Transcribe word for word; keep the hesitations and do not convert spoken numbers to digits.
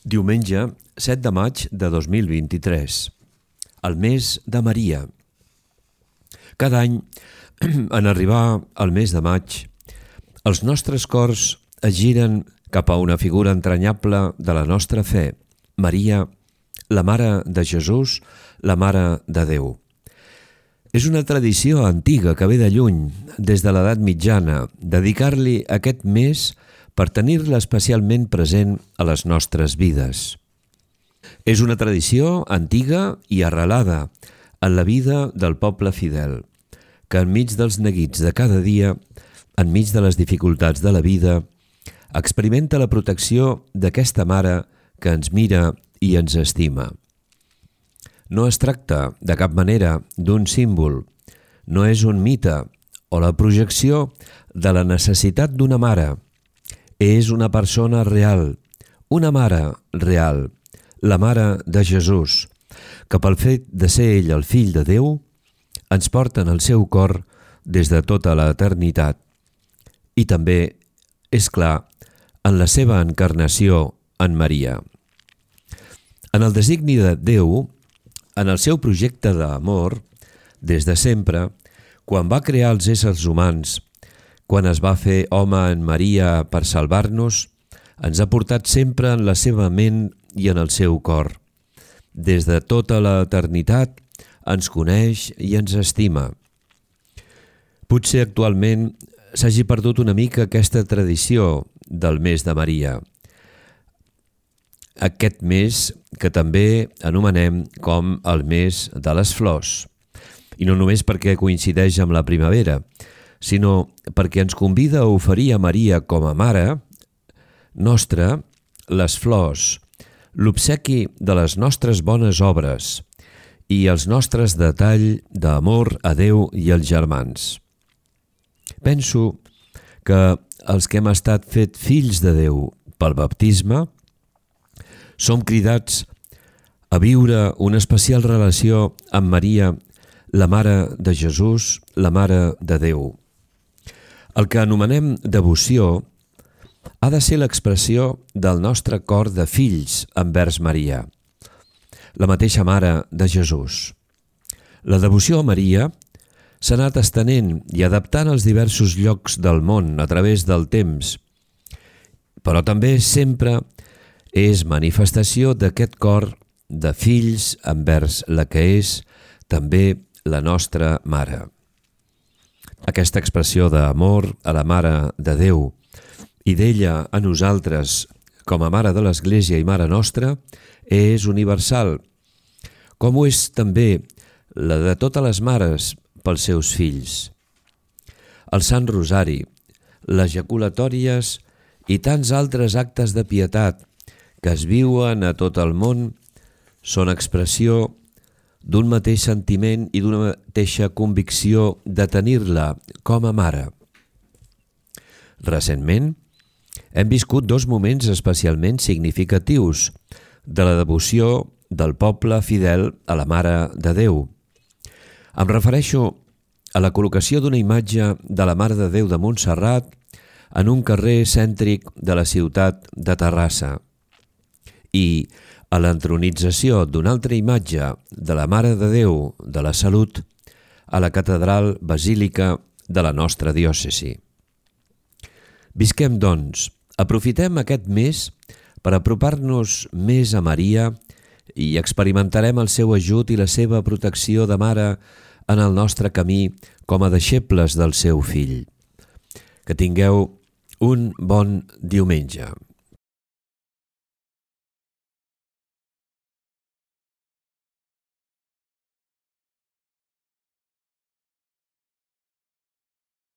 Diumenge, set de maig de dos mil vint-i-tres, el mes de Maria. Cada any, en arribar al mes de maig, els nostres cors es giren cap a una figura entranyable de la nostra fe, Maria, la Mare de Jesús, la Mare de Déu. És una tradició antiga que ve de lluny, des de l'edat mitjana, dedicar-li aquest mes per tenir-la especialment present a les nostres vides. És una tradició antiga i arrelada en la vida del poble fidel, que enmig dels neguits de cada dia, enmig de les dificultats de la vida, experimenta la protecció d'aquesta mare que ens mira i ens estima. No es tracta de cap manera d'un símbol, no és un mite o la projecció de la necessitat d'una mare. És una persona real, una mare real, la Mare de Jesús, que pel fet de ser ell el fill de Déu, ens porta en el seu cor des de tota l'eternitat. I també, és clar, en la seva encarnació en Maria. En el designi de Déu, en el seu projecte d'amor, des de sempre, quan va crear els éssers humans, quan es va fer home en Maria per salvar-nos, ens ha portat sempre en la seva ment i en el seu cor. Des de tota l'eternitat ens coneix i ens estima. Potser actualment s'hagi perdut una mica aquesta tradició del mes de Maria. Aquest mes que també anomenem com el mes de les flors. I no només perquè coincideix amb la primavera, sinó perquè ens convida a oferir a Maria com a mare nostra les flors, l'obsequi de les nostres bones obres i els nostres detalls d'amor a Déu i als germans. Penso que els que hem estat fet fills de Déu pel baptisme som cridats a viure una especial relació amb Maria, la Mare de Jesús, la Mare de Déu. El que anomenem devoció ha de ser l'expressió del nostre cor de fills envers Maria, la mateixa Mare de Jesús. La devoció a Maria s'ha anat estenent i adaptant als diversos llocs del món a través del temps, però també sempre és manifestació d'aquest cor de fills envers la que és també la nostra Mare. Aquesta expressió d'amor a la Mare de Déu i d'ella a nosaltres com a Mare de l'Església i Mare nostra és universal, com ho és també la de totes les mares pels seus fills. El Sant Rosari, les ejaculatòries i tants altres actes de pietat que es viuen a tot el món són expressió d'un mateix sentiment i d'una mateixa convicció de tenir-la com a mare. Recentment, hem viscut dos moments especialment significatius de la devoció del poble fidel a la Mare de Déu. Em refereixo a la col·locació d'una imatge de la Mare de Déu de Montserrat en un carrer cèntric de la ciutat de Terrassa i a l'entronització d'una altra imatge de la Mare de Déu de la Salut a la catedral basílica de la nostra diòcesi. Visquem, doncs, aprofitem aquest mes per apropar-nos més a Maria i experimentarem el seu ajut i la seva protecció de mare en el nostre camí com a deixebles del seu fill. Que tingueu un bon diumenge.